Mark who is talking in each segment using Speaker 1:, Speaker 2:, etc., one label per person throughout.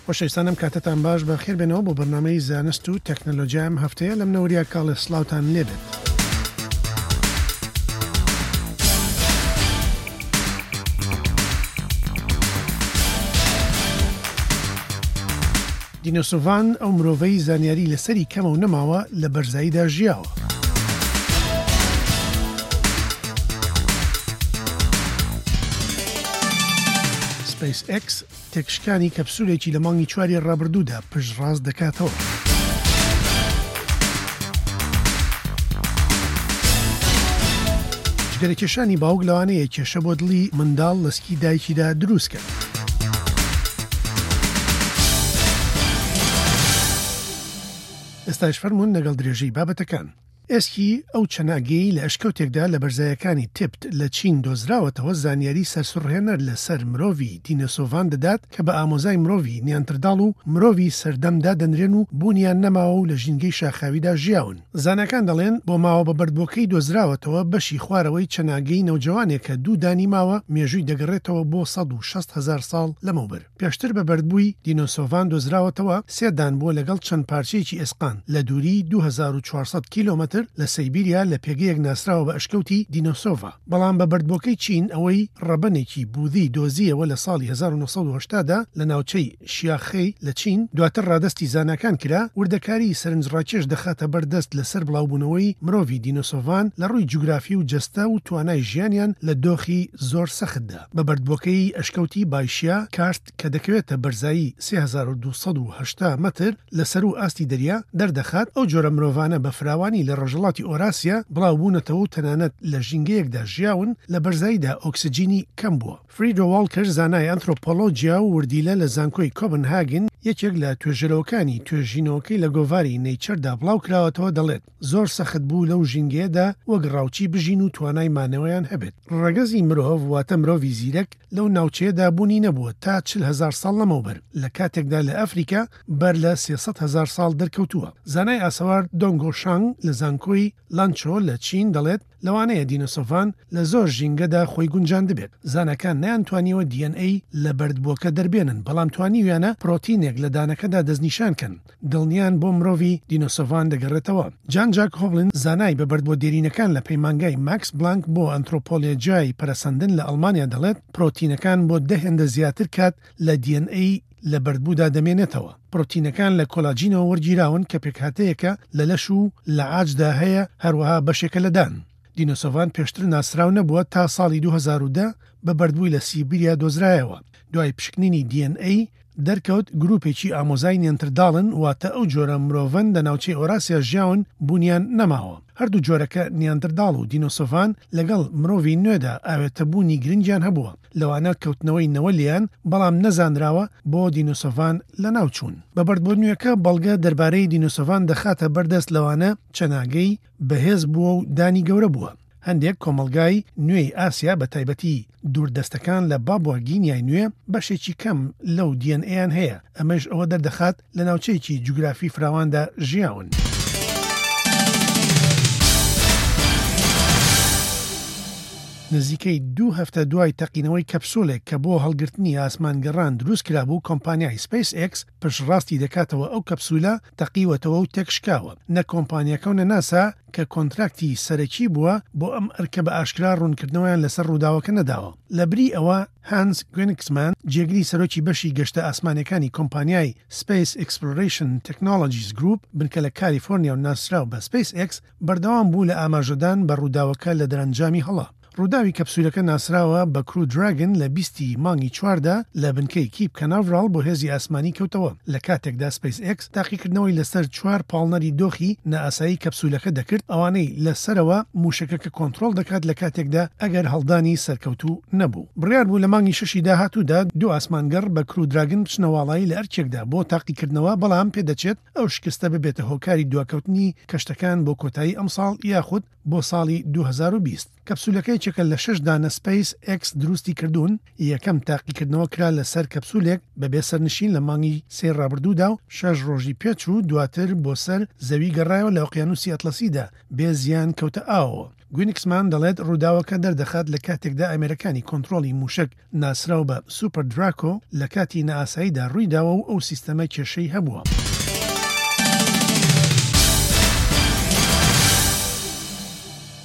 Speaker 1: خۆشەویستان ئەم کاتەتان باش بەخێر بێنەوە بۆ بەرنامەی زانست و تەکنەلۆجیا ئەم هەفتەیە لە منە وریا کاڵێ سڵاوتان لێبێت. دینۆسۆڤان ئەو مرۆڤەی زانیاری لەسەری کەمە و نەماوە لە بەرزاییدا ژیاوە. سپەیس ئێکس تێکشکانی کەپسولێکی لە مانگی چواری ڕابردوودا پشتڕاست دەکاتەوە. جگەرەکێشانی باوک لەوانەیە کێشە بۆ دڵی منداڵ لە سکی دایکیدا دروستکات. ئێستاش فەرموون لەگەڵ درێژەی بابەتەکان. ئێسکی ئەو چەناگەیەی لە ئەشکەوتێکدا لە بەرزایەکانی تبت لە چین دۆزراوەتەوە زانیاری سەرسوڕهێنەر لە سەر مرۆڤی دینەسۆڤان دەدات کە بە ئامۆزای مرۆڤی نیانترداڵ و مرۆڤی سەردەم دادەنرێن و بوونیان نەماوە و لە ژینگەی شاخاویدا ژیاون. زاناکان دەڵێن بۆماوە بە بەردبووەکەی دۆزراوەتەوە بەشی خوارەوەی چەناگەی نەوجەوانێکە دوو دانی ماوە مێژووی دەگەڕێتەوە بۆ 160 هەزار ساڵ لەمەوبەر. پێشتر بە بەردبووی دینۆسۆڤان دۆزراوەتەوە، سێ دان بووە لەگەڵ چەند پارچەیەکی ئێسقان، لە دووریی 2400 کیلۆمەتر لە سەیبیریا لە پێگەیەک ناسراوە بە ئەشکەوتی دینۆسۆڤا. بەڵام بە بەردبووەکەی چین ئەوەی ڕەبەنێکی بوذی دۆزییەوە لە ساڵی 1980 دا لە ناوچەی شیاخی لە چین، دواتر ڕادەستی زاناکان کرا، وردەکاریی سەرنجڕاکێش دەخاتە بەر دەست لەسەر بڵاوبوونەوەی مرۆڤی دینۆسۆڤان لە ڕووی جوگرافی و جەستە و توانای ژیانیان لە دۆخی زۆر سەختدا. بە بەردبووەکەی ئەشکەوتی بایشیا کارست کە دەکەوێتە بەرزایی 3280 مەتر لە سەروو ئاستی دەریا، دەردەخات ئەو جۆرە مرۆڤانە بە فراوانی لە ڕۆژهەڵاتی ئۆراسیا بڵاوبوونەتەوە و تەنانەت لە ژینگەیەکدا ژیاون لە بەرزاییدا ئۆکسجینی کەم بووە. فریدۆ واڵکەر زانای ئەنثرۆپۆلۆجیا و وردیلە لە زانکۆی کۆبنهاگن یەکێک لە توێژەرەوەکانی توێژینەوەکەی لە گۆڤاری نەیچەردا بڵاوکراوەتەوە دەڵێت زۆر سەخت بوو لەو ژینگەیەدا وەک ڕاوچی بژین و توانای مانەوەیان هەبێت. ڕەگەزی مرۆڤ واتە مرۆڤی زیرەک لەو ناوچەیەدا بوونی نەبووە تا 40 هەزار ساڵ لەمەوبەر، لە کاتێکدا لە ئەفریکا بەر لە 300 هەزار ساڵ دەرکەوتووە. زانای ئاسەوار دۆنگۆ شانگ لە زانکۆی لانچۆ لە چین دەڵێت، لەوانەیە دینۆسۆڤان لە زۆر ژینگەدا خۆی گونجاندبێت. زاناکان نەیانتوانیوە DNA لە بەردبووەکە دەربێنن، بەڵام توانیویانە پرۆتینێک لە دانەکەدا دەستنیشان کەن. دڵنیان بۆ مرۆڤی دینۆسۆڤان دەگەڕێتەوە. جان جاک هۆبلن زانای بە بەردبووە دێرینەکان لە پەیمانگای ماکس بلانک بۆ ئەنترۆپۆلێجیای پەرەسەندن لە ئەڵمانیا دەڵێت، پرۆتینەکان بۆ دە هێندە زیاتر کات لە DNA لە بەردبوودا دەمێنێتەوە. پرۆتینەکان لە کۆلاجینەوە وەرگیراون کە پێکهاتەیەکە لە لەش و لە عاجدا هەیە، هەروەها بەشێکە لە دان. دینۆسۆڤان پێشتر ناسراو نەبووە تا ساڵی 2010 بە بەردبووی لە سیبیریا دۆزرایەوە. دوای پشکنینی DNA دەرکەوت گروپێکی ئامۆزای نیانترداڵن واتە ئەو جۆرە مرۆڤەن لە ناوچەی ئۆراسیا ژیاون بوونیان نەماوە. هەردوو جۆرەکە نیاندرداڵ و دینۆسۆڤان لەگەڵ مرۆڤی نوێدا ئاوێتەبوونی گرنگیان هەبووە، لەوانە کەوتنەوەی نەوە لێیان، بەڵام نەزانراوە بۆ دینۆسۆڤان لەناوچوون. بە بەردبووە نوێکە بەڵگە دەربارەی دینۆسۆڤان دەخاتە بەردەست لەوانە چەناگەی بەهێز بووە و دانی گەورە بووە. هەندێک کۆمەڵگای نوێی ئاسیا بە تایبەتی دووردەستەکان لە بابوا گینیای نوێ بەشێکی کەم لەو DNA-یان هەیە، ئەمەش ئەوە دەردەخات لە ناوچەیەکی جوگرافی فراواندا ژیاون. نزیکەی دوو هەفتە دوای تەقینەوەی کەپسولێک کە بۆ هەڵگرتنی ئاسمانگەڕان دروستکرابوو، کۆمپانیای سپەیس ئێکس پشتڕاستی دەکاتەوە ئەو کەپسولە تەقیوەتەوە و تێکشکاوە. نە کۆمپانیاکە و نە ناسا کە کۆنتراکتی سەرەکی بووە بۆ ئەم ئەرکە بە ئاشکرا ڕوونکردنەوەیان لەسەر ڕووداوەکە نەداوە. لەبری ئەوە هانس گوێنکسمان، جێگری سەرۆکی بەشی گەشتە ئاسمانیەکانی کۆمپانیای Space Exploration Technologies Group، بنکە لە کالیفۆرنیا و ناسراو بە سپەیس ئێکس، بەردەوام بوو لە ئاماژەدان بە ڕووداوەکە لە دەرەنجامی هەڵە. ڕووداوی کەپسولەکە ناسراوە بە کرو دراگن لە 20 ی مانگی چواردا لە بنکەی کیپ کەناڤراڵ بۆ هێزی ئاسمانی کەوتەوە، لە کاتێکدا سپەیس ئێکس تاقیکردنەوەی لەسەر چوار پاڵنەری دۆخی نائاسایی کەپسولەکە دەکرد، ئەوانەی لە سەرەوە مووشەکەکە کۆنترۆڵ دەکات لە کاتێکدا ئەگەر هەڵدانی سەرکەوتوو نەبوو. بڕیار بوو لە مانگی شەشی داهاتوودا دوو ئاسمانگەڕ بە کرو دراگن بچنە واڵایی لە ئەرکێکدا بۆ تاقیکردنەوە، بەڵام پێدەچێت ئەو شکستە ببێتە هۆکاری دواکەوتنی کەشتەکان بۆ کۆتایی ئەمساڵ یاخود بۆ ساڵی 2020. کەپسولەکە یەکێکە لە شەش دانە سپەیس ئێکس دروستی کردوون، یەکەم تاقیکردنەوە کرا لەسەر کەپسولێک بەبێ سەرنشین لە مانگی سێی ڕابردوودا و شەش ڕۆژی پێچوو، دواتر بۆ سەر زەوی گەڕایەوە لە ئۆقیانوسی ئەتڵەسیدا بێ زیان کەوتە ئاوەوە. گوینکسمان دەڵێت ڕووداوەکە دەردەخات لە کاتێکدا ئامێرەکانی کۆنترۆڵی موشەک ناسراو بە سوپەر دراکۆ لە کاتی نائاساییدا ڕوویداوە و ئەو سیستەمە کێشەی هەبووە.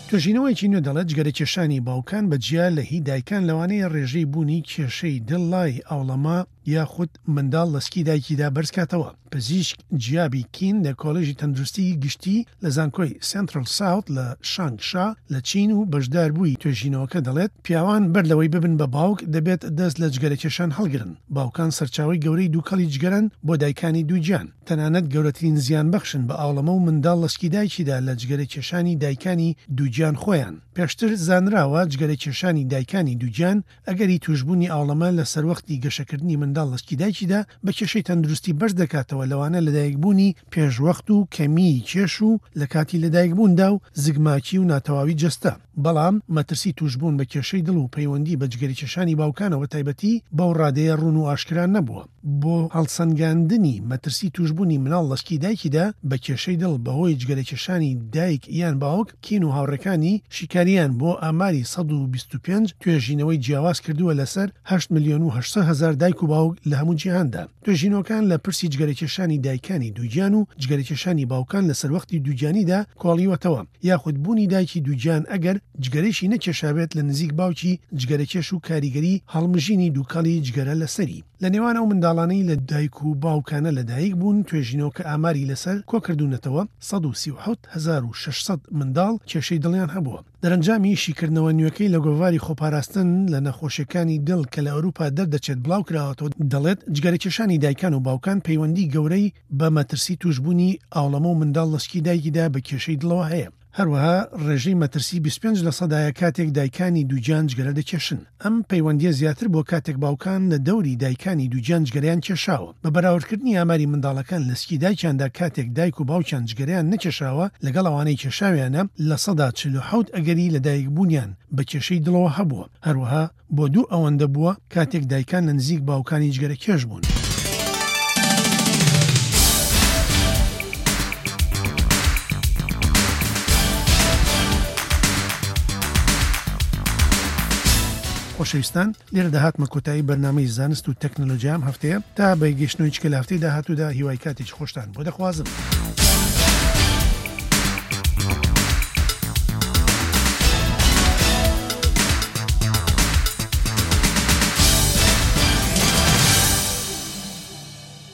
Speaker 1: توێژینەوەیەکی نوێ دەڵێت جگەرەکێشانی باوکان بە جیا لە هی دایکان لەوانەیە ڕێژەی بوونی کێشەی دڵ لای ئاوڵەما یاخود منداڵ لە سکی دایکیدا بەرزکاتەوە. پزیشک جیابی کین لە کۆلێژی تەندروستیی گشتی لە زانکۆی سێنترال ساوت لە شانگ شا لە چین و بەشداربووی توێژینەوەکە دەڵێت، پیاوان بەر لەوەی ببن بە باوک دەبێت دەست لە جگەرەکێشان هەڵگرن. باوکان سەرچاوەی گەورەی دووکەڵی جگەرەن بۆ دایکانی دووگیان. تەنانەت گەورەترین زیانبەخشن بە ئاوڵەمە و منداڵ لە سکی دایکیدا لە جگەرەکێشانی دایکانی دووگیان خۆیان. پێشتر زانراوە جگەرەکێشانی دایکانی دووگیان ئەگەری تووشبوونی ئاوڵەمە لە سەروەختی گەشەکردنی منداڵ لە سکی دایکیدا بە کێشەی تەندروستی بەرز دەکاتەوە لەوانە لەدایکبوونی پێشوەخت و کەمیی کێش و لە کاتی لەدایکبووندا و زگماکی و ناتەواوی جەستە، بەڵام مەترسی تووشبوون بە کێشەی دڵ و پەیوەندی بە جگەرەکێشانی باوکانەوە تایبەتی بەو ڕادەیە ڕوون و ئاشکرا نەبووە. بۆ هەڵسەنگاندنی مەترسی تووشبوونی مناڵ لە سکی دایکیدا بە کێشەی دڵ بەهۆی جگەرەکێشانی دایک یان باوک، کین و هاوڕێکانی شیکارییان بۆ ئاماری 125 توێژینەوەی جیاواز کردووە لەسەر هەشت ملیۆن و 800 هەزار دایک و باوک لە هەموو جیهاندا. توێژینەوەکان لە پرسی جگەرەکێشانی دایکانی دووگیان و جگەرەکێشانی باوکان لە سەروەختی دووگیانیدا کۆڵیوەتەوە، یاخود بوونی دایکی دووگیان ئەگەر جگەرەیشی نەکێشابێت لە نزیک باوکی جگەرەکێش و کاریگەری هەڵمژینی دووکەڵی جگەرە لەسەری. لە نێوان ئەو منداڵانەی لە دایک و باوکانە لەدایک بوون، توێژینەوەکە ئاماری لەسەر کۆکردوونەتەوە، 137,600 منداڵ کێشەی دڵیان هەبووە. دەرەنجامی شیکردنەوە نوێکەی لە گۆڤاری خۆپاراستن لە نەخۆشیەکانی دڵ کە لە ئەوروپا دەردەچێت بڵاوکراوەتەوە دەڵێت، جگەرەکێشانی دایکان و باوکان پەیوەندی گەورەی بە مەترسی تووشبوونی ئاوڵەمە و منداڵ لە سکی دایکیدا بە کێشەی دڵەوە هەیە. هەروەها ڕێژەی مەترسی 25 لەسەدایە کاتێک دایکانی دووگیان جگەرە دەکێشن. ئەم پەیوەندییە زیاتر بووە کاتێک باوکان لە دەوری دایکانی دووگیان جگەرەیان کێشاوە. بە بەراوردکردنی ئاماری منداڵەکان لە سکی دایکیاندا کاتێک دایک و باوکیان جگەرەیان نەکێشاوە لەگەڵ ئەوانەی کێشاویانە، 47% ئەگەری لەدایکبوونیان بە کێشەی دڵەوە هەبووە. هەروەها بۆ دوو ئەوەندە بووە کاتێک دایکان لە نزیک باوکانی جگەرەکێش بوون. خۆشەویستان لێرەدا هاتمە کۆتایی بەرنامەی زانست و تەکنەلۆجیا ئەم هەفتەیە تا بە گەشتنەوەی چکە لە هەفتەی داهاتوودا هیوای کاتێکی خۆشتان بۆ دەخوازم.